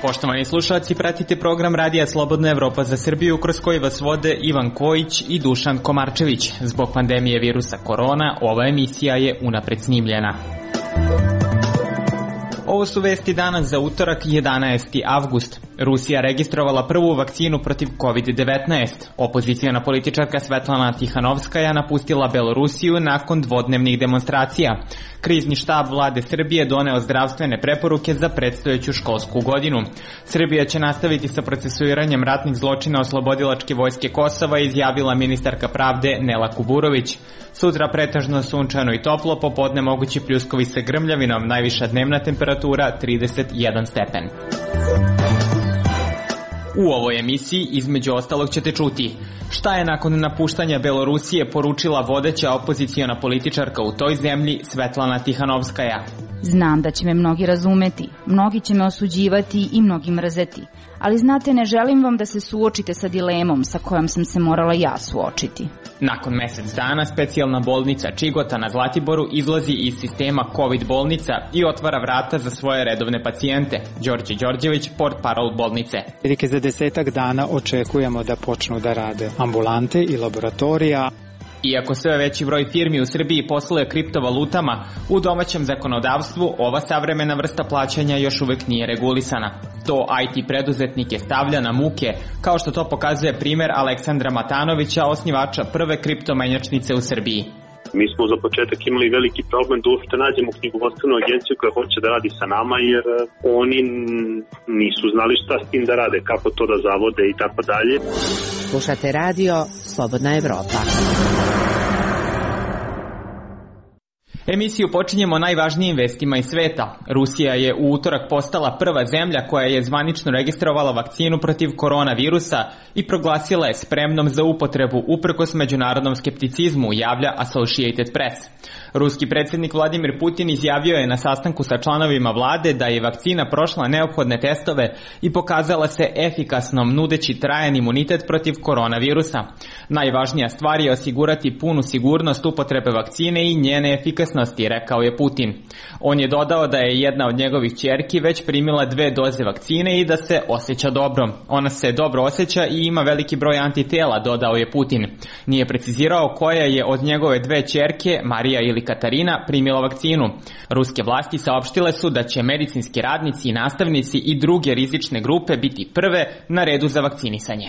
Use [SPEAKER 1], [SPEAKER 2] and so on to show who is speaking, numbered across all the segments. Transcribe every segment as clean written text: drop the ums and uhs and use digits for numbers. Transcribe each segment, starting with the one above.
[SPEAKER 1] Poštovani slušalci, pratite program Radija Slobodna Evropa za Srbiju, kroz koji vas vode Ivan Kojić i Dušan Komarčević. Zbog pandemije virusa korona, ova emisija je unapred snimljena. Ovo su vesti danas za utorak 11. avgust. Rusija registrovala prvu vakcinu protiv COVID-19. Opozicijona političarka Svetlana Tihanovskaja napustila Belorusiju nakon dvodnevnih demonstracija. Krizni štab vlade Srbije doneo zdravstvene preporuke za predstojeću školsku godinu. Srbija će nastaviti sa procesuiranjem ratnih zločina oslobodilačke vojske Kosova, izjavila ministarka pravde Nela Kuburović. Sutra pretežno sunčano i toplo, popodne mogući pljuskovi sa grmljavinom, najviša dnevna temperatura 31 stepen. U ovoj emisiji između ostalog ćete čuti šta je nakon napuštanja Belorusije poručila vodeća opoziciona političarka u toj zemlji Svetlana Tihanovskaja.
[SPEAKER 2] Znam da će me mnogi razumeti, mnogi će me osuđivati i mnogi mrzeti, ali znate, ne želim vam da se suočite sa dilemom sa kojom sam se morala ja suočiti.
[SPEAKER 1] Nakon mesec dana specijalna bolnica Čigota na Zlatiboru izlazi iz sistema COVID bolnica i otvara vrata za svoje redovne pacijente. Đorđe Đorđević, portparol bolnice.
[SPEAKER 3] Za 10 dana očekujemo da počnu da rade ambulante i laboratorija.
[SPEAKER 1] Iako sve veći broj firmi u Srbiji posluje kriptovalutama, u domaćem zakonodavstvu ova savremena vrsta plaćanja još uvek nije regulisana. To IT preduzetnike stavlja na muke, kao što to pokazuje primer Aleksandra Matanovića, osnivača prve kriptomenjačnice u Srbiji.
[SPEAKER 4] Mi smo za početak imali veliki problem da uopšte nađemo knjigovodstvenu agenciju koja hoće da radi sa nama, jer oni nisu znali šta s tim da rade, kako to da zavode i tako dalje.
[SPEAKER 5] Slušate radio Slobodna Evropa.
[SPEAKER 1] Emisiju počinjemo najvažnijim vestima iz sveta. Rusija je u utorak postala prva zemlja koja je zvanično registrovala vakcinu protiv koronavirusa i proglasila je spremnom za upotrebu uprkos međunarodnom skepticizmu, javlja Associated Press. Ruski predsjednik Vladimir Putin izjavio je na sastanku sa članovima vlade da je vakcina prošla neophodne testove i pokazala se efikasnom, nudeći trajan imunitet protiv koronavirusa. Najvažnija stvar je osigurati punu sigurnost upotrebe vakcine i njene efikasnosti, rekao je Putin. On je dodao da je jedna od njegovih ćerki već primila 2 doze vakcine i da se osjeća dobro. Ona se dobro osjeća i ima veliki broj antitela, dodao je Putin. Nije precizirao koja je od njegove 2 ćerke, Marija ili Katarina, primila vakcinu. Ruske vlasti saopštile su da će medicinski radnici i nastavnici i druge rizične grupe biti prve na redu za vakcinisanje.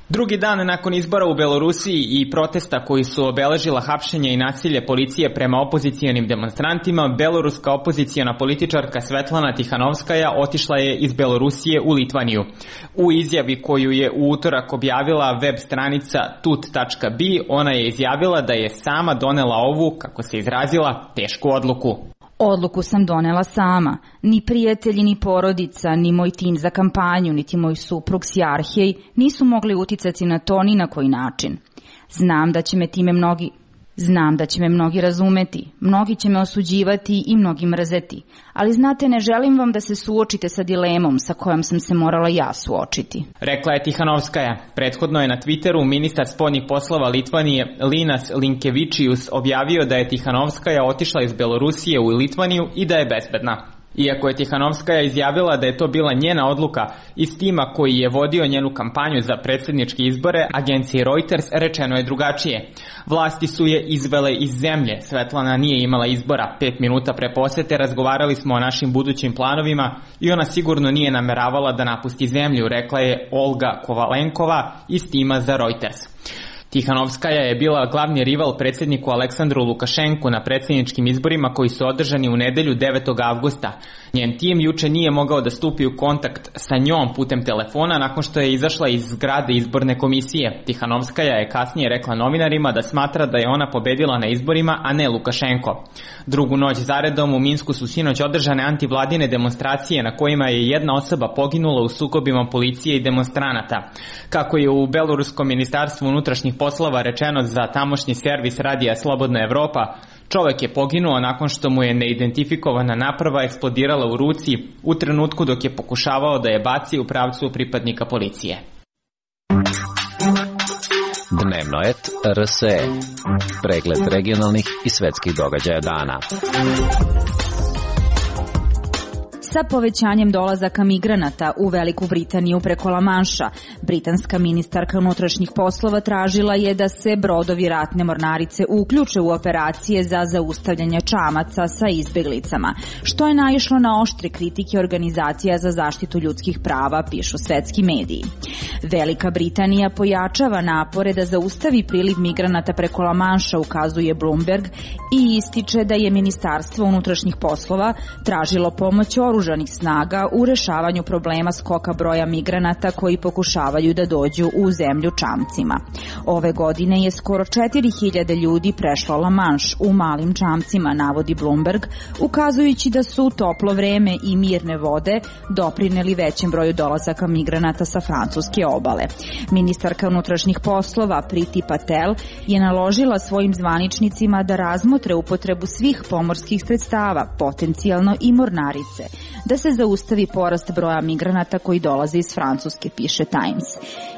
[SPEAKER 1] Drugi dan nakon izbora u Belorusiji i protesta koji su obeležila hapšenje i nasilje policije prema opozicijonim demonstrantima, beloruska opozicijona političarka Svetlana Tihanovskaja otišla je iz Belorusije u Litvaniju. U izjavi koju je u utorak objavila web stranica tut.bi, ona je izjavila da je sama donela ovu, kako se izrazila, tešku odluku.
[SPEAKER 2] Odluku sam donela sama. Ni prijatelji, ni porodica, ni moj tim za kampanju, niti moj suprug Sjarhej nisu mogli uticati na to ni na koji način. Znam da će me mnogi razumeti, mnogi će me osuđivati i mnogi mrzeti, ali znate, ne želim vam da se suočite sa dilemom sa kojom sam se morala ja suočiti.
[SPEAKER 1] Rekla je Tihanovskaja. Prethodno je na Twitteru ministar spoljnih poslova Litvanije Linas Linkevičius objavio da je Tihanovskaja otišla iz Belorusije u Litvaniju i da je bezbedna. Iako je Tihanovskaja izjavila da je to bila njena odluka, iz tima koji je vodio njenu kampanju za predsjedničke izbore, agenciji Reuters, rečeno je drugačije. Vlasti su je izvele iz zemlje. Svetlana nije imala izbora. 5 minuta pre posete razgovarali smo o našim budućim planovima i ona sigurno nije nameravala da napusti zemlju, rekla je Olga Kovalenkova iz tima za Reuters. Tihanovskaja je bila glavni rival predsjedniku Aleksandru Lukašenku na predsjedničkim izborima koji su održani u nedelju 9. avgusta. Njen tim juče nije mogao da stupi u kontakt sa njom putem telefona nakon što je izašla iz zgrade izborne komisije. Tihanovskaja je kasnije rekla novinarima da smatra da je ona pobedila na izborima, a ne Lukašenko. Drugu noć zaredom u Minsku su sinoć održane antivladine demonstracije na kojima je jedna osoba poginula u sukobima policije i demonstranata. Kako je u Beloruskom ministarstvu unutrašnjih poslova rečeno za tamošnji servis Radija Slobodna Evropa, čovek je poginuo nakon što mu je neidentifikovana naprava eksplodirala u ruci u trenutku dok je pokušavao da je baci u pravcu pripadnika policije.
[SPEAKER 6] Dnevnoet RSE. Pregled regionalnih i svetskih događaja dana.
[SPEAKER 2] Sa povećanjem dolazaka migranata u Veliku Britaniju preko La Manša, britanska ministarka unutrašnjih poslova tražila je da se brodovi ratne mornarice uključe u operacije za zaustavljanje čamaca sa izbeglicama, što je naišlo na oštre kritike organizacija za zaštitu ljudskih prava, pišu svetski mediji. Velika Britanija pojačava napore da zaustavi priliv migranata preko La Manša, ukazuje Bloomberg, i ističe da je Ministarstvo unutrašnjih poslova tražilo pomoć oružanih snaga u rešavanju problema skoka broja migranata koji pokušavaju da dođu u zemlju čamcima. Ove godine je skoro 4000 ljudi prešlo La Manš u malim čamcima, navodi Bloomberg, ukazujući da su toplo vreme i mirne vode doprineli većem broju dolazaka migranata sa francuske obale. Ministarka unutrašnjih poslova Priti Patel je naložila svojim zvaničnicima da razmotre upotrebu svih pomorskih sredstava, potencijalno i mornarice, da se zaustavi porast broja migranata koji dolaze iz Francuske, piše Times.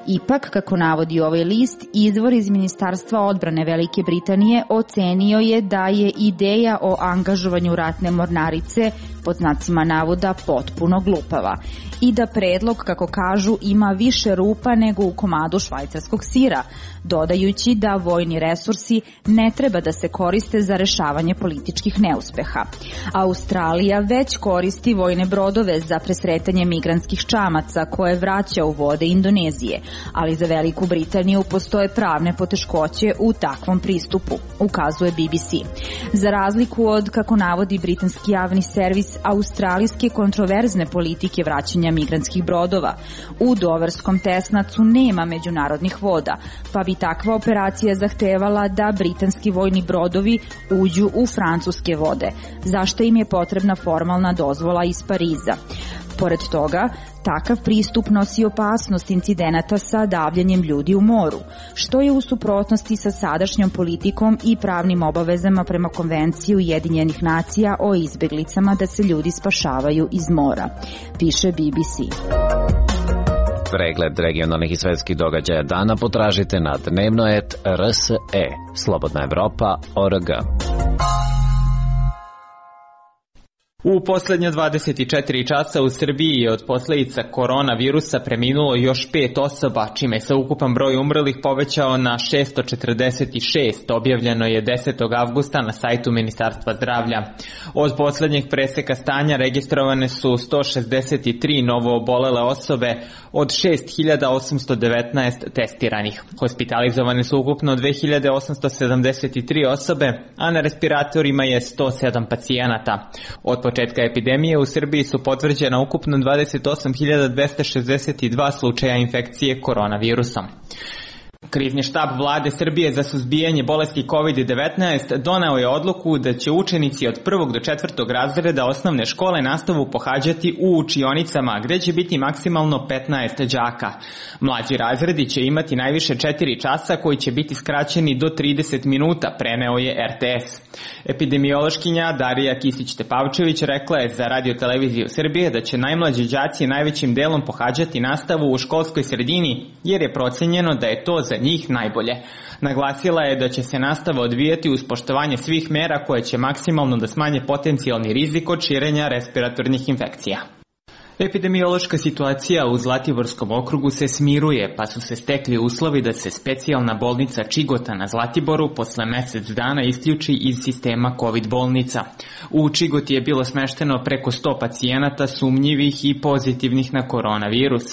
[SPEAKER 2] Ipak, kako navodi ovaj list, izvor iz Ministarstva odbrane Velike Britanije ocenio je da je ideja o angažovanju ratne mornarice, pod znacima navoda, potpuno glupava i da predlog, kako kažu, ima više rupa nego u komadu švajcarskog sira, dodajući da vojni resursi ne treba da se koriste za rešavanje političkih neuspeha. Australija već koristi vojne brodove za presretanje migrantskih čamaca koje vraća u vode Indonezije, ali za Veliku Britaniju postoje pravne poteškoće u takvom pristupu, ukazuje BBC. Za razliku od, kako navodi britanski javni servis, australijske kontroverzne politike vraćanja migrantskih brodova, u Doverskom tesnacu nema međunarodnih voda, pa bi takva operacija zahtevala da britanski vojni brodovi uđu u francuske vode, zašto im je potrebna formalna dozvola iz Pariza. Pored toga, takav pristup nosi opasnost incidenata sa davljenjem ljudi u moru, što je u suprotnosti sa sadašnjom politikom i pravnim obavezama prema Konvenciji Ujedinjenih nacija o izbeglicama da se ljudi spašavaju iz mora, piše BBC.
[SPEAKER 6] Pregled regionalnih i svetskih događaja dana potražite na Dnevnoet RSE, Slobodna Evropa.org.
[SPEAKER 1] U poslednje 24 časa u Srbiji je od posledica koronavirusa preminulo još 5 osoba, čime se ukupan broj umrlih povećao na 646, objavljeno je 10. avgusta na sajtu Ministarstva zdravlja. Od poslednjeg preseka stanja registrovane su 163 novo obolele osobe od 6819 testiranih. Hospitalizovane su ukupno 2873 osobe, a na respiratorima je 107 pacijenata. Od početka epidemije u Srbiji su potvrđena ukupno 28.262 slučaja infekcije koronavirusom. Krizni štab vlade Srbije za suzbijanje bolesti COVID-19 doneo je odluku da će učenici od 1. do 4. razreda osnovne škole nastavu pohađati u učionicama, gde će biti maksimalno 15 đaka. Mlađi razredi će imati najviše 4 časa koji će biti skraćeni do 30 minuta, preneo je RTS. Epidemiološkinja Darija Kisić-Tepavčević rekla je za Radio-televiziju Srbije da će najmlađi đaci najvećim delom pohađati nastavu u školskoj sredini, jer je procenjeno da je to za njih najbolje. Naglasila je da će se nastava odvijati uz poštovanje svih mera koje će maksimalno da smanje potencijalni rizik od širenja respiratornih infekcija. Epidemiološka situacija u Zlatiborskom okrugu se smiruje, pa su se stekli uslovi da se specijalna bolnica Čigota na Zlatiboru posle mesec dana isključi iz sistema COVID bolnica. U Čigoti je bilo smešteno preko 100 pacijenata sumnjivih i pozitivnih na koronavirus.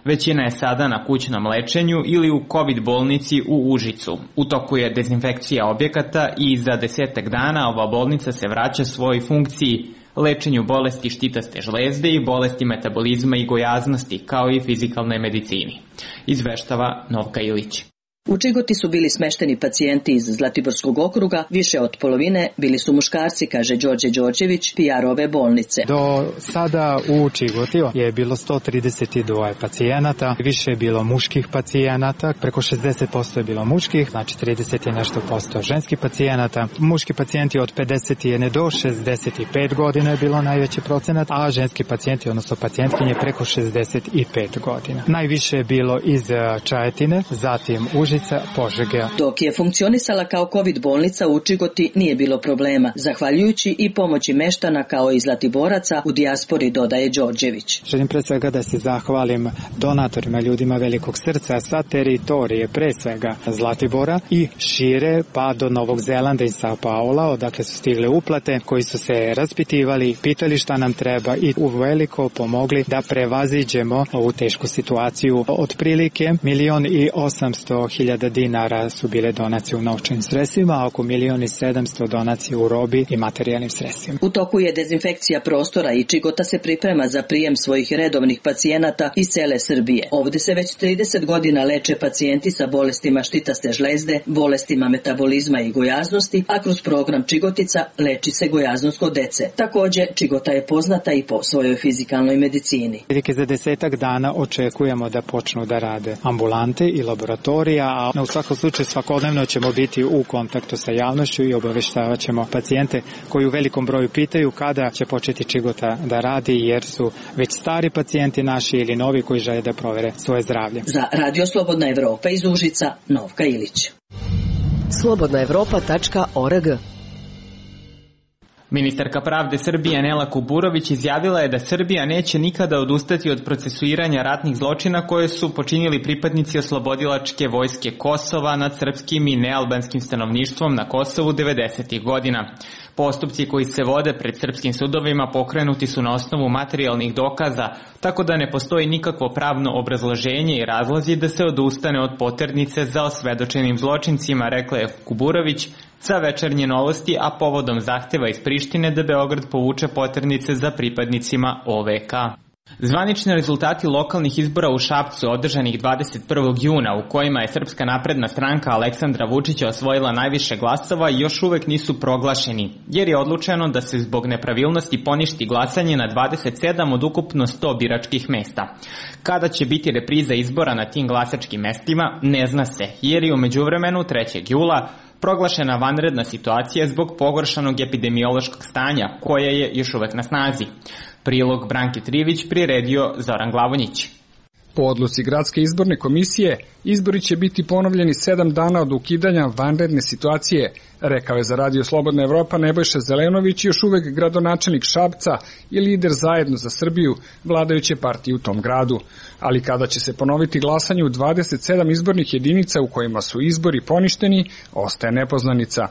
[SPEAKER 1] Većina je sada na kućnom lečenju ili u COVID bolnici u Užicu. U toku je dezinfekcija objekata i za 10 dana ova bolnica se vraća svojoj funkciji, lečenju bolesti štitaste žlezde i bolesti metabolizma i gojaznosti, kao i fizikalne medicini. Izveštava Novka Ilić.
[SPEAKER 7] U Čigoti su bili smešteni pacijenti iz Zlatiborskog okruga, više od polovine bili su muškarci, kaže Đorđe Đorđević, PR ove bolnice.
[SPEAKER 3] Do sada u Čigoti je bilo 132 pacijenata, više je bilo muških pacijenata, preko 60% je bilo muških, znači 30 i nešto posto ženskih pacijenata. Muški pacijenti od 51 do 65 godina je bilo najveći procenat, a ženski pacijenti, odnosno pacijentkinje, preko 65 godina. Najviše je bilo iz Čajetine, zatim Užice, Užica, Požege.
[SPEAKER 7] Dok je funkcionisala kao COVID bolnica u Čigoti nije bilo problema, zahvaljujući i pomoći meštana kao i Zlatiboraca u dijaspori, dodaje Đorđević.
[SPEAKER 3] Želim pre svega da se zahvalim donatorima, ljudima velikog srca sa teritorije, pre svega Zlatibora i šire pa do Novog Zelanda i Sao Paula, odakle su stigle uplate, koji su se raspitivali, pitali šta nam treba i uveliko pomogli da prevaziđemo ovu tešku situaciju. Otprilike 1.800.000 dinara su bile donacije u novčanim sredstvima, a oko 1.700.000 donacije u robi i materijalnim sredstvima.
[SPEAKER 7] U toku je dezinfekcija prostora i Čigota se priprema za prijem svojih redovnih pacijenata iz cele Srbije. Ovde se već 30 godina leče pacijenti sa bolestima štitaste žlezde, bolestima metabolizma i gojaznosti, a kroz program Čigotica leči se gojaznost kod dece. Takođe, Čigota je poznata i po svojoj fizikalnoj medicini.
[SPEAKER 3] Za 10 dana očekujemo da počnu da rade ambulante i laboratorija, a u svakom slučaju svakodnevno ćemo biti u kontaktu sa javnošću i obaveštavat ćemo pacijente koji u velikom broju pitaju kada će početi Čigota da radi, jer su već stari pacijenti naši ili novi koji žele da provere svoje zdravlje.
[SPEAKER 7] Za Radio Slobodna Evropa iz Užica, Novka Ilić.
[SPEAKER 5] slobodnaevropa.org.
[SPEAKER 1] Ministarka pravde Srbije Nela Kuburović izjavila je da Srbija neće nikada odustati od procesuiranja ratnih zločina koje su počinili pripadnici oslobodilačke vojske Kosova nad srpskim i nealbanskim stanovništvom na Kosovu 90. godina. Postupci koji se vode pred srpskim sudovima pokrenuti su na osnovu materijalnih dokaza, tako da ne postoji nikakvo pravno obrazloženje i razlozi da se odustane od poternice za osvedočenim zločincima, rekla je Kuburović za Večernje novosti, a povodom zahteva iz Prištine da Beograd povuče poternice za pripadnicima OVK. Zvanični rezultati lokalnih izbora u Šapcu održanih 21. juna, u kojima je Srpska napredna stranka Aleksandra Vučića osvojila najviše glasova, još uvek nisu proglašeni, jer je odlučeno da se zbog nepravilnosti poništi glasanje na 27 od ukupno 100 biračkih mesta. Kada će biti repriza izbora na tim glasačkim mestima, ne zna se, jer je u međuvremenu 3. jula proglašena vanredna situacija zbog pogoršanog epidemiološkog stanja, koja je još uvek na snazi. Prilog Branke Trivić priredio Zoran Glavonjić.
[SPEAKER 8] Po odluci Gradske izborne komisije, izbori će biti ponovljeni 7 dana od ukidanja vanredne situacije, rekao je za Radio Slobodna Evropa Nebojša Zelenović, još uvek gradonačelnik Šapca i lider Zajedno za Srbiju, vladajuće partije u tom gradu. Ali kada će se ponoviti glasanje u 27 izbornih jedinica u kojima su izbori poništeni, ostaje nepoznanica.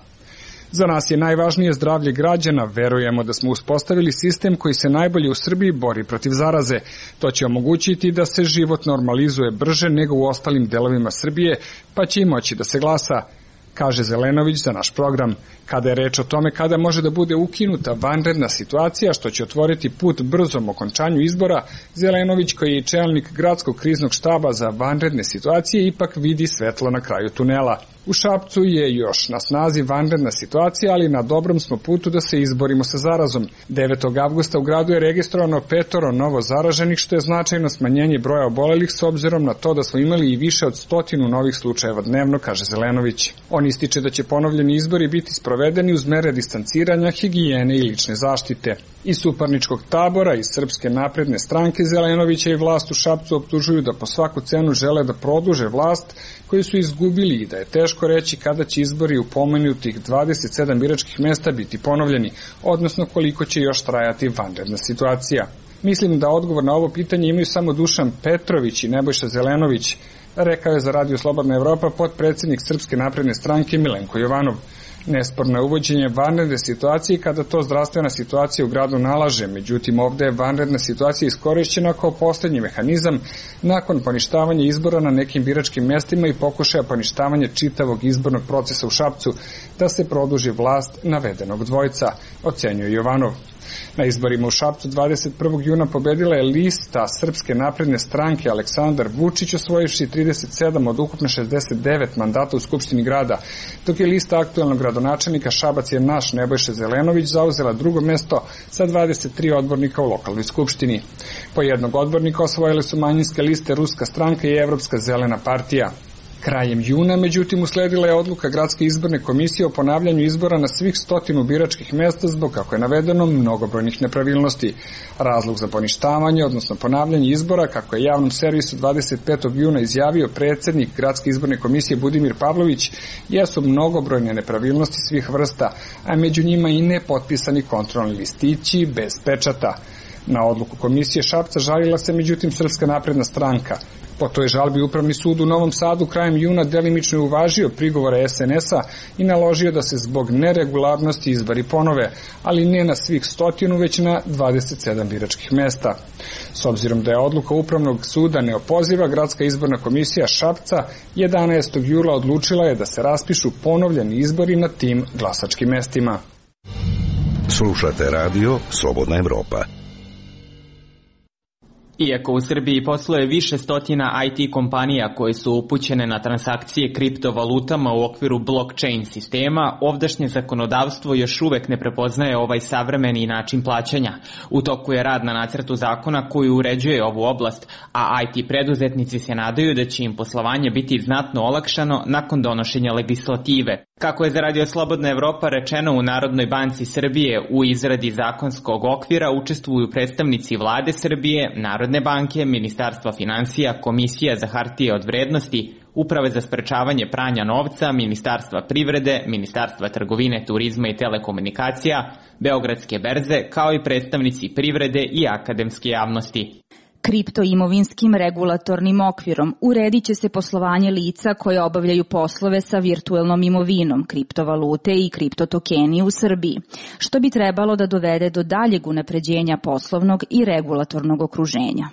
[SPEAKER 8] Za nas je najvažnije zdravlje građana, verujemo da smo uspostavili sistem koji se najbolje u Srbiji bori protiv zaraze. To će omogućiti da se život normalizuje brže nego u ostalim delovima Srbije, pa će i moći da se glasa, kaže Zelenović za naš program. Kada je reč o tome kada može da bude ukinuta vanredna situacija, što će otvoriti put brzom okončanju izbora, Zelenović, koji je čelnik Gradskog kriznog štaba za vanredne situacije, ipak vidi svetlo na kraju tunela. U Šapcu je još na snazi vanredna situacija, ali na dobrom smo putu da se izborimo sa zarazom. 9. avgusta u gradu je registrovano 5 novo zaraženih, što je značajno smanjenje broja obolelih s obzirom na to da smo imali i više od 100 novih slučajeva dnevno, kaže Zelenović. On ističe da će ponovljeni izbori biti sprovedeni uz mere distanciranja, higijene i lične zaštite. Iz suparničkog tabora i Srpske napredne stranke Zelenovića i vlast u Šapcu optužuju da po svaku cenu žele da produže vlast koju su izgubili i da je teško reći kada će izbori u pomenutih 27 biračkih mesta biti ponovljeni, odnosno koliko će još trajati vanredna situacija. Mislim da odgovor na ovo pitanje imaju samo Dušan Petrović i Nebojša Zelenović, rekao je za Radio Slobodna Evropa potpredsednik Srpske napredne stranke Milenko Jovanov. Nesporno je uvođenje vanredne situacije kada to zdravstvena situacija u gradu nalaže, međutim ovde je vanredna situacija iskorišćena kao poslednji mehanizam nakon poništavanja izbora na nekim biračkim mestima i pokušaja poništavanja čitavog izbornog procesa u Šapcu da se produži vlast navedenog dvojca, ocenjuje Jovanov. Na izborima u Šapcu 21. juna pobedila je lista Srpske napredne stranke Aleksandar Vučić, osvojivši 37 od ukupno 69 mandata u Skupštini grada, dok je lista aktuelnog gradonačelnika Šabac je naš Nebojša Zelenović zauzela drugo mesto sa 23 odbornika u lokalnoj skupštini. Po jednog odbornika osvojile su manjinske liste Ruska stranka i Evropska zelena partija. Krajem juna, međutim, usledila je odluka Gradske izborne komisije o ponavljanju izbora na svih 100 biračkih mesta zbog, kako je navedeno, mnogobrojnih nepravilnosti. Razlog za poništavanje, odnosno ponavljanje izbora, kako je javnom servisu 25. juna izjavio predsednik Gradske izborne komisije Budimir Pavlović, jesu mnogobrojne nepravilnosti svih vrsta, a među njima i nepotpisani kontrolni listići bez pečata. Na odluku komisije Šapca žalila se međutim Srpska napredna stranka. Po toj žalbi Upravni sud u Novom Sadu krajem juna delimično je uvažio prigovore SNS-a i naložio da se zbog neregularnosti izbori ponove, ali ne na svih 100, već na 27 biračkih mesta. S obzirom da je odluka Upravnog suda neopoziva, Gradska izborna komisija Šapca 11. jula odlučila je da se raspišu ponovljeni izbori na tim glasačkim mestima.
[SPEAKER 9] Slušate radio Slobodna Evropa.
[SPEAKER 1] Iako u Srbiji posluje više stotina IT kompanija koje su upućene na transakcije kriptovalutama u okviru blockchain sistema, ovdašnje zakonodavstvo još uvek ne prepoznaje ovaj savremeni način plaćanja. U toku je rad na nacrtu zakona koji uređuje ovu oblast, a IT preduzetnici se nadaju da će im poslovanje biti znatno olakšano nakon donošenja legislative. Kako je za Radio Slobodna Evropa rečeno, u Narodnoj banci Srbije u izradi zakonskog okvira učestvuju predstavnici Vlade Srbije, Narodne banke, Ministarstva finansija, Komisija za hartije od vrednosti, Uprave za sprečavanje pranja novca, Ministarstva privrede, Ministarstva trgovine, turizma i telekomunikacija, Beogradske berze, kao i predstavnici privrede i akademske javnosti.
[SPEAKER 2] Kriptoimovinskim regulatornim okvirom uredit će se poslovanje lica koje obavljaju poslove sa virtuelnom imovinom, kriptovalute i kriptotokeni u Srbiji, što bi trebalo da dovede do daljeg unapređenja poslovnog i regulatornog okruženja.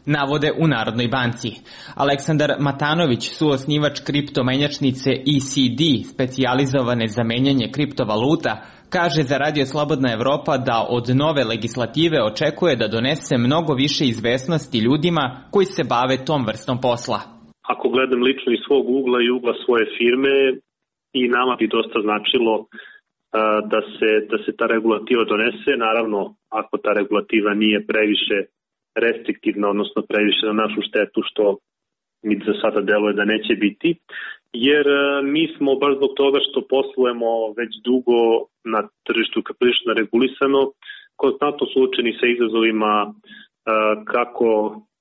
[SPEAKER 1] Navode u Narodnoj banci. Aleksandar Matanović, suosnivač kriptomenjačnice ECD, specijalizovane za menjanje kriptovaluta, kaže za Radio Slobodna Evropa da od nove legislative očekuje da donese mnogo više izvesnosti ljudima koji se bave tom vrstom posla.
[SPEAKER 4] Ako gledam lično iz svog ugla i ugla svoje firme, i nama bi dosta značilo da se ta regulativa donese, naravno ako ta regulativa nije previše restriktivna, odnosno previše na našu štetu, što mi za sada deluje da neće biti, jer mi smo baš zbog toga što poslujemo već dugo na tržištu prilično regulisano, konstantno suočeni sa izazovima kako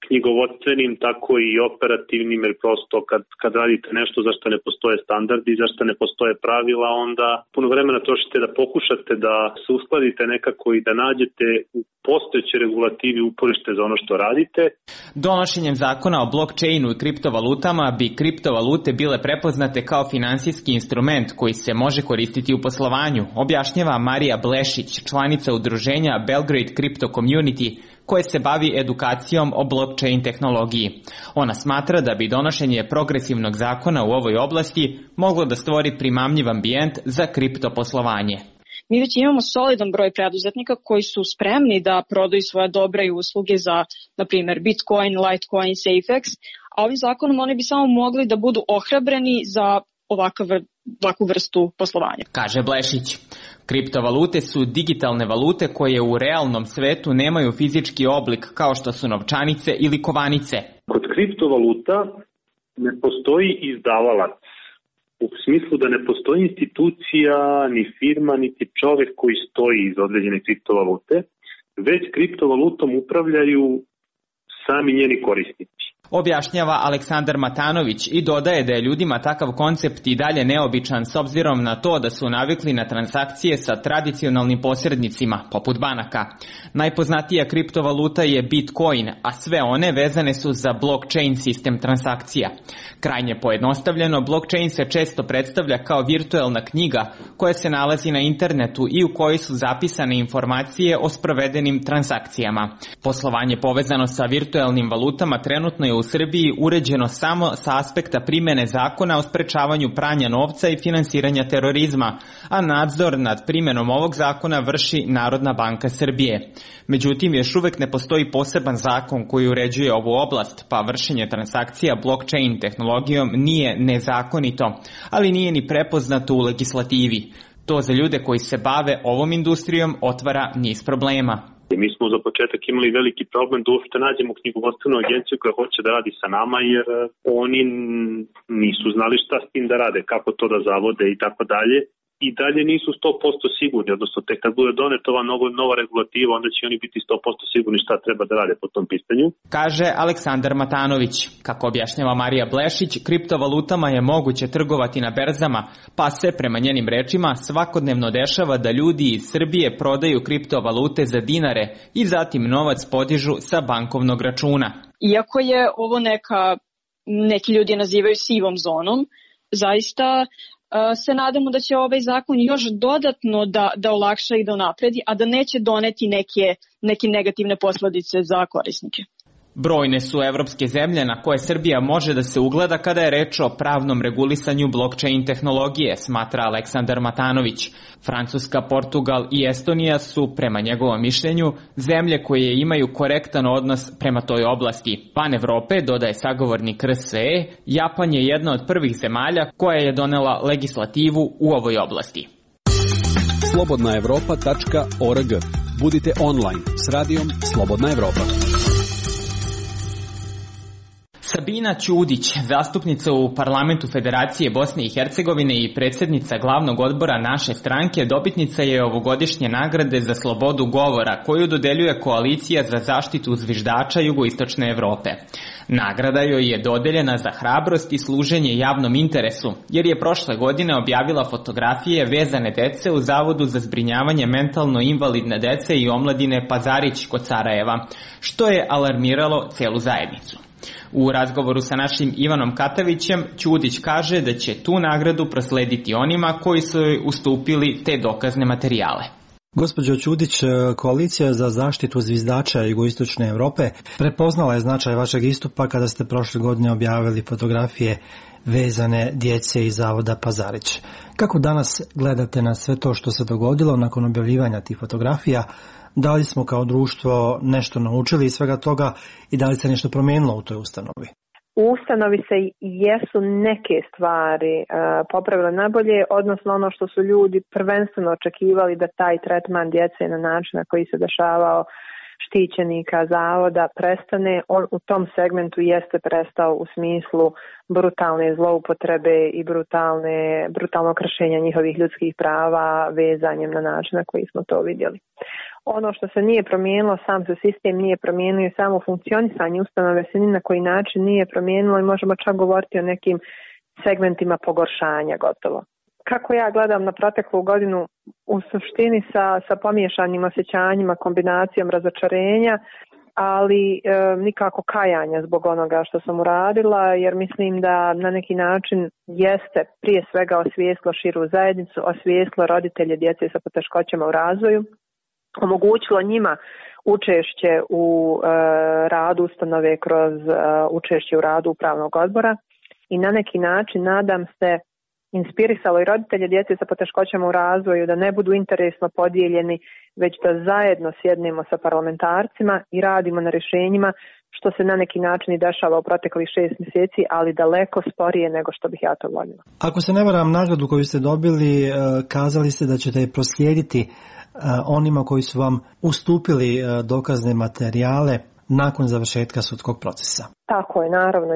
[SPEAKER 4] knjigovodstvenim, tako i operativnim, jer prosto kad radite nešto za što ne postoje standardi, za što ne postoje pravila, onda puno vremena trošite da pokušate da se uskladite nekako i da nađete u postojećoj regulativi uporište za ono što radite.
[SPEAKER 1] Donošenjem zakona o blockchainu i kriptovalutama bi kriptovalute bile prepoznate kao finansijski instrument koji se može koristiti u poslovanju, objašnjava Marija Blešić, članica udruženja Belgrade Crypto Community, koje se bavi edukacijom o blockchain tehnologiji. Ona smatra da bi donošenje progresivnog zakona u ovoj oblasti moglo da stvori primamljiv ambijent za kriptoposlovanje.
[SPEAKER 10] Mi već imamo solidan broj preduzetnika koji su spremni da prodaju svoje dobre i usluge za, na primjer, Bitcoin, Litecoin, SafeX, a ovim zakonom oni bi samo mogli da budu ohrabreni za ovakvu vrstu poslovanja.
[SPEAKER 1] Kaže Blešić. Kriptovalute su digitalne valute koje u realnom svetu nemaju fizički oblik kao što su novčanice ili kovanice.
[SPEAKER 4] Kod kriptovaluta ne postoji izdavalac. U smislu da ne postoji institucija, ni firma, niti čovek koji stoji iz određene kriptovalute, već kriptovalutom upravljaju sami njeni korisnici.
[SPEAKER 1] Objašnjava Aleksandar Matanović i dodaje da je ljudima takav koncept i dalje neobičan s obzirom na to da su navikli na transakcije sa tradicionalnim posrednicima, poput banaka. Najpoznatija kriptovaluta je Bitcoin, a sve one vezane su za blockchain sistem transakcija. Krajnje pojednostavljeno, blockchain se često predstavlja kao virtuelna knjiga koja se nalazi na internetu i u kojoj su zapisane informacije o sprovedenim transakcijama. Poslovanje povezano sa virtuelnim valutama trenutno je u Srbiji uređeno samo sa aspekta primene zakona o sprečavanju pranja novca i finansiranja terorizma, a nadzor nad primenom ovog zakona vrši Narodna banka Srbije. Međutim, još uvek ne postoji poseban zakon koji uređuje ovu oblast, pa vršenje transakcija blockchain tehnologijom nije nezakonito, ali nije ni prepoznato u legislativi. To za ljude koji se bave ovom industrijom otvara niz problema.
[SPEAKER 4] I mi smo za početak imali veliki problem da uopšte nađemo knjigovodstvenu agenciju koja hoće da radi sa nama, jer oni nisu znali šta s tim da rade, kako to da zavode i tako dalje. I dalje nisu 100% sigurni, odnosno tek kad bude doneta ova nova regulativa, onda će oni biti 100% sigurni šta treba da rade po tom pitanju.
[SPEAKER 1] Kaže Aleksandar Matanović. Kako objašnjava Marija Blešić, kriptovalutama je moguće trgovati na berzama, pa se, prema njenim rečima, svakodnevno dešava da ljudi iz Srbije prodaju kriptovalute za dinare i zatim novac podižu sa bankovnog računa.
[SPEAKER 10] Iako je ovo neki ljudi nazivaju sivom zonom, zaista se nadamo da će ovaj zakon još dodatno da olakša i da unapredi, a da neće doneti neke negativne posledice za korisnike.
[SPEAKER 1] Brojne su evropske zemlje na koje Srbija može da se ugleda kada je reč o pravnom regulisanju blockchain tehnologije, smatra Aleksandar Matanović. Francuska, Portugal i Estonija su, prema njegovom mišljenju, zemlje koje imaju korektan odnos prema toj oblasti. Van Evrope, dodaje sagovornik RSE, Japan je jedna od prvih zemalja koja je donela legislativu u ovoj oblasti.
[SPEAKER 11] slobodnaevropa.org. Budite online s radijom Slobodna Evropa.
[SPEAKER 1] Sabina Ćudić, zastupnica u Parlamentu Federacije Bosne i Hercegovine i predsjednica glavnog odbora naše stranke, dobitnica je ovogodišnje nagrade za slobodu govora koju dodeljuje Koalicija za zaštitu zviždača Jugoistočne Evrope. Nagrada joj je dodeljena za hrabrost i služenje javnom interesu, jer je prošle godine objavila fotografije vezane dece u Zavodu za zbrinjavanje mentalno invalidne dece i omladine Pazarić kod Sarajeva, što je alarmiralo celu zajednicu. U razgovoru sa našim Ivanom Katavićem, Ćudić kaže da će tu nagradu proslediti onima koji su joj ustupili te dokazne materijale.
[SPEAKER 12] Gospođo Ćudić, Koalicija za zaštitu zviždača Jugoistočne Evrope prepoznala je značaj vašeg istupa kada ste prošle godine objavili fotografije vezane djece iz Zavoda Pazarić. Kako danas gledate na sve to što se dogodilo nakon objavljivanja tih fotografija? Da li smo kao društvo nešto naučili iz svega toga i da li se nešto promijenilo u toj ustanovi?
[SPEAKER 13] U ustanovi se jesu neke stvari popravile nabolje, odnosno ono što su ljudi prvenstveno očekivali da taj tretman djece na način na koji se dešavao štićenika zavoda prestane, on u tom segmentu jeste prestao u smislu brutalne zloupotrebe i brutalno kršenja njihovih ljudskih prava vezanjem na način na koji smo to vidjeli. Ono što se nije promijenilo, sam se sistem nije promijenio i samo funkcionisanje ustanove se ni na koji način nije promijenilo i možemo čak govoriti o nekim segmentima pogoršanja gotovo. Kako ja gledam na proteklu godinu, u suštini sa pomiješanim osjećanjima, kombinacijom razočarenja, ali nikako kajanja zbog onoga što sam uradila, jer mislim da na neki način jeste prije svega osvijestilo širu zajednicu, osvijestilo roditelje djece sa poteškoćama u razvoju, omogućilo njima učešće u radu ustanove kroz učešće u radu upravnog odbora i na neki način, nadam se, inspirisalo i roditelje djece sa poteškoćama u razvoju da ne budu interesno podijeljeni, već da zajedno sjednemo sa parlamentarcima i radimo na rješenjima, što se na neki način i dešava u proteklih 6 mjeseci, ali daleko sporije nego što bih ja to voljela.
[SPEAKER 12] Ako se ne varam, nagradu koju ste dobili, kazali ste da ćete je proslijediti onima koji su vam ustupili dokazne materijale nakon završetka sudskog procesa.
[SPEAKER 13] Tako je, naravno,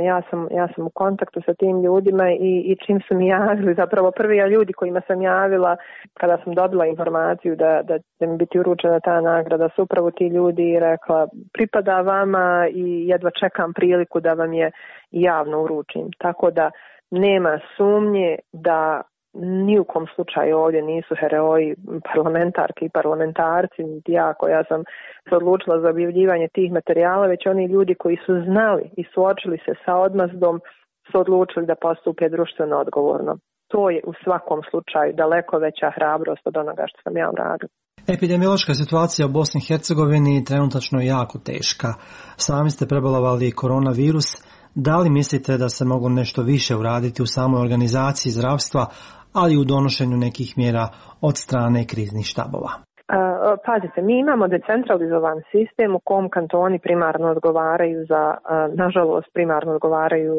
[SPEAKER 13] ja sam u kontaktu sa tim ljudima i čim su mi javili, zapravo prvi ljudi kojima sam javila kada sam dobila informaciju da će mi biti uručena ta nagrada, su upravo ti ljudi rekla pripada vama i jedva čekam priliku da vam je javno uručim. Tako da nema sumnje da ni u kom slučaju ovdje nisu heroji parlamentarki i parlamentarci, niti ja koja sam se odlučila za objavljivanje tih materijala, već oni ljudi koji su znali i suočili se sa odmazdom su odlučili da postupe društveno odgovorno. To je u svakom slučaju daleko veća hrabrost od onoga što sam ja uradila.
[SPEAKER 12] Epidemiološka situacija u Bosni i Hercegovini trenutačno je jako teška. Sami ste prebolovali koronavirus. Da li mislite da se mogu nešto više uraditi u samoj organizaciji zdravstva, ali i u donošenju nekih mjera od strane kriznih štabova?
[SPEAKER 13] Pazite, mi imamo decentralizovan sistem u kom kantoni primarno odgovaraju nažalost primarno odgovaraju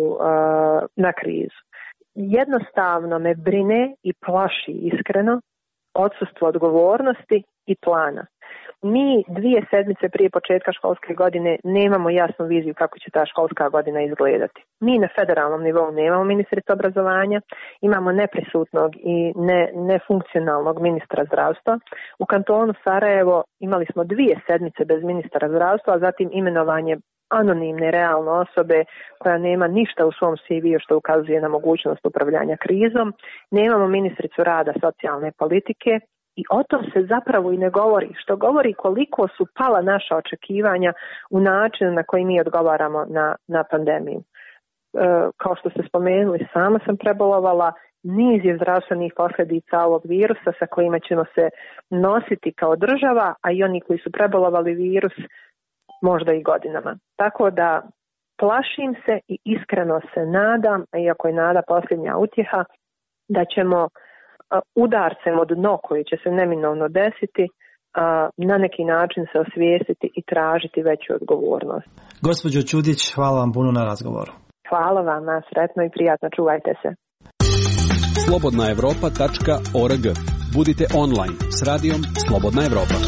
[SPEAKER 13] na krizu. Jednostavno me brine i plaši iskreno odsustvo odgovornosti i plana. Mi 2 sedmice prije početka školske godine nemamo jasnu viziju kako će ta školska godina izgledati. Mi na federalnom nivou nemamo ministricu obrazovanja, imamo neprisutnog i nefunkcionalnog ministra zdravstva. U kantonu Sarajevo imali smo 2 sedmice bez ministra zdravstva, a zatim imenovanje anonimne realne osobe koja nema ništa u svom CV-u što ukazuje na mogućnost upravljanja krizom. Nemamo ministricu rada, socijalne politike i o tom se zapravo i ne govori, što govori koliko su pala naša očekivanja u načinu na koji mi odgovaramo na pandemiju. Kao što ste spomenuli, sama sam prebolovala, niz je zdravstvenih posljedica ovog virusa sa kojima ćemo se nositi kao država, a i oni koji su prebolovali virus možda i godinama. Tako da plašim se i iskreno se nadam, iako je nada posljednja utjeha, da ćemo udarcem od dno koji će se neminovno desiti na neki način se osvijestiti i tražiti veću odgovornost.
[SPEAKER 12] Gospođo Čudić, hvala vam puno na razgovoru.
[SPEAKER 13] Hvala vam, sretno i prijatno, čuvajte se.
[SPEAKER 11] slobodnaevropa.org. Budite online s radijom Slobodna Evropa.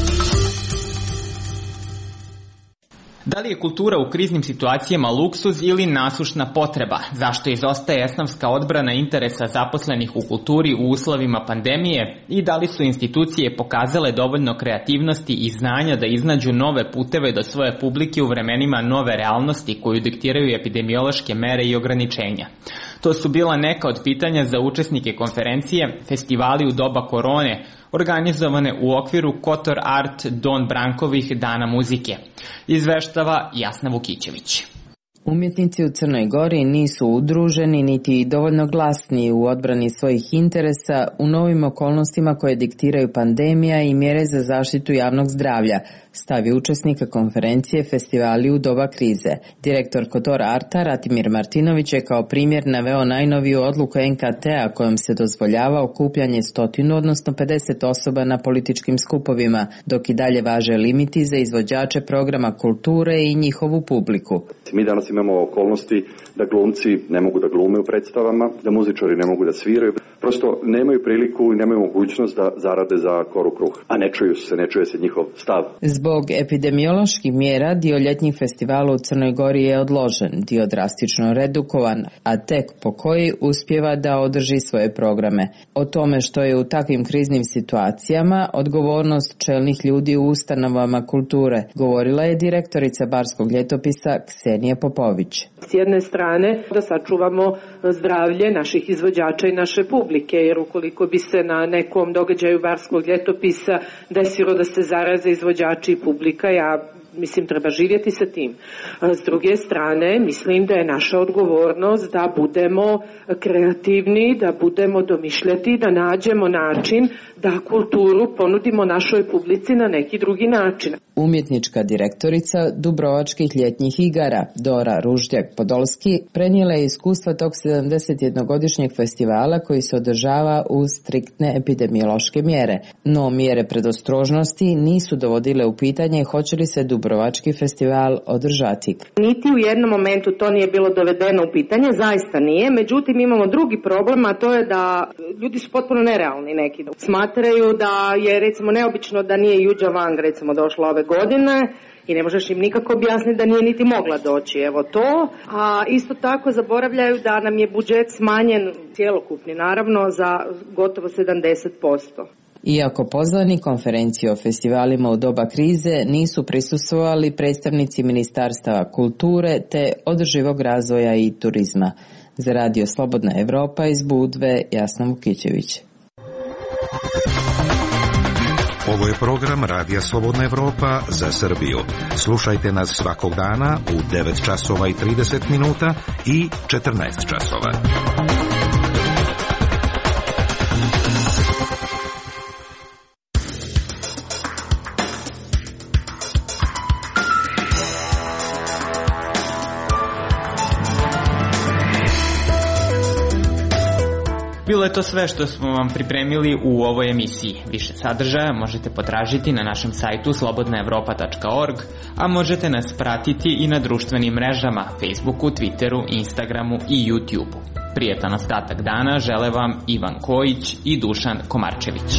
[SPEAKER 1] Da li je kultura u kriznim situacijama luksuz ili nasušna potreba? Zašto izostaje esnafska odbrana interesa zaposlenih u kulturi u uslovima pandemije? I da li su institucije pokazale dovoljno kreativnosti i znanja da iznađu nove puteve do svoje publike u vremenima nove realnosti koju diktiraju epidemiološke mere i ograničenja? To su bila neka od pitanja za učesnike konferencije Festivali u doba korone, organizovane u okviru Kotor Art Don Brankovih dana muzike. Izveštava Jasna Vukićević.
[SPEAKER 14] Umjetnici u Crnoj Gori nisu udruženi niti dovoljno glasni u odbrani svojih interesa u novim okolnostima koje diktiraju pandemija i mjere za zaštitu javnog zdravlja, stavi učesnika konferencije Festivali u doba krize. Direktor Kotor Arta Ratimir Martinović je kao primjer naveo najnoviju odluku NKT-a kojom se dozvoljava okupljanje 100, odnosno 50 osoba na političkim skupovima, dok i dalje važe limiti za izvođače programa kulture i njihovu publiku.
[SPEAKER 15] Mi danas imamo okolnosti da glumci ne mogu da glume u predstavama, da muzičari ne mogu da sviraju, prosto nemaju priliku i nemaju mogućnost da zarade za koru kruh, a ne čuje se njihov stav.
[SPEAKER 14] Zbog epidemioloških mjera dio ljetnjih festivala u Crnoj Gori je odložen, dio drastično redukovan, a tek po koji uspijeva da održi svoje programe. O tome što je u takvim kriznim situacijama odgovornost čelnih ljudi u ustanovama kulture, govorila je direktorica Barskog ljetopisa Ksenija Popović.
[SPEAKER 16] S jedne strane da sačuvamo zdravlje naših izvođača i naše publike, jer ukoliko bi se na nekom događaju Barskog ljetopisa desilo da se zaraze izvođači i publika, mislim, treba živjeti sa tim. S druge strane, mislim da je naša odgovornost da budemo kreativni, da budemo domišljati, da nađemo način da kulturu ponudimo našoj publici na neki drugi način.
[SPEAKER 14] Umjetnička direktorica Dubrovačkih ljetnjih igara Dora Ruždjak-Podolski prenijela je iskustva tog 71-godišnjeg festivala koji se održava uz striktne epidemiološke mjere. No mjere predostrožnosti nisu dovodile u pitanje hoće li se Dubrovački festival održati.
[SPEAKER 16] Niti u jednom momentu to nije bilo dovedeno u pitanje, zaista nije. Međutim, imamo drugi problem, a to je da ljudi su potpuno nerealni neki. Smatraju da je recimo neobično da nije Juđa Wang recimo došla ove godine i ne možeš im nikako objasniti da nije niti mogla doći. Evo to. A isto tako zaboravljaju da nam je budžet smanjen cjelokupni naravno za gotovo 70%.
[SPEAKER 14] Iako pozvani konferenciji o festivalima u doba krize nisu prisustvovali predstavnici Ministarstava kulture te održivog razvoja i turizma. Za Radio Slobodna Evropa iz Budve, Jasna Vukićević.
[SPEAKER 9] Ovo je program Radija Slobodna Evropa za Srbiju. Slušajte nas svakog dana u 9 časova i 30 minuta i 14 časova.
[SPEAKER 1] Bilo je to sve što smo vam pripremili u ovoj emisiji. Više sadržaja možete potražiti na našem sajtu slobodnaevropa.org, a možete nas pratiti i na društvenim mrežama Facebooku, Twitteru, Instagramu i YouTubeu. Prijetan ostatak dana žele vam Ivan Kojić i Dušan Komarčević.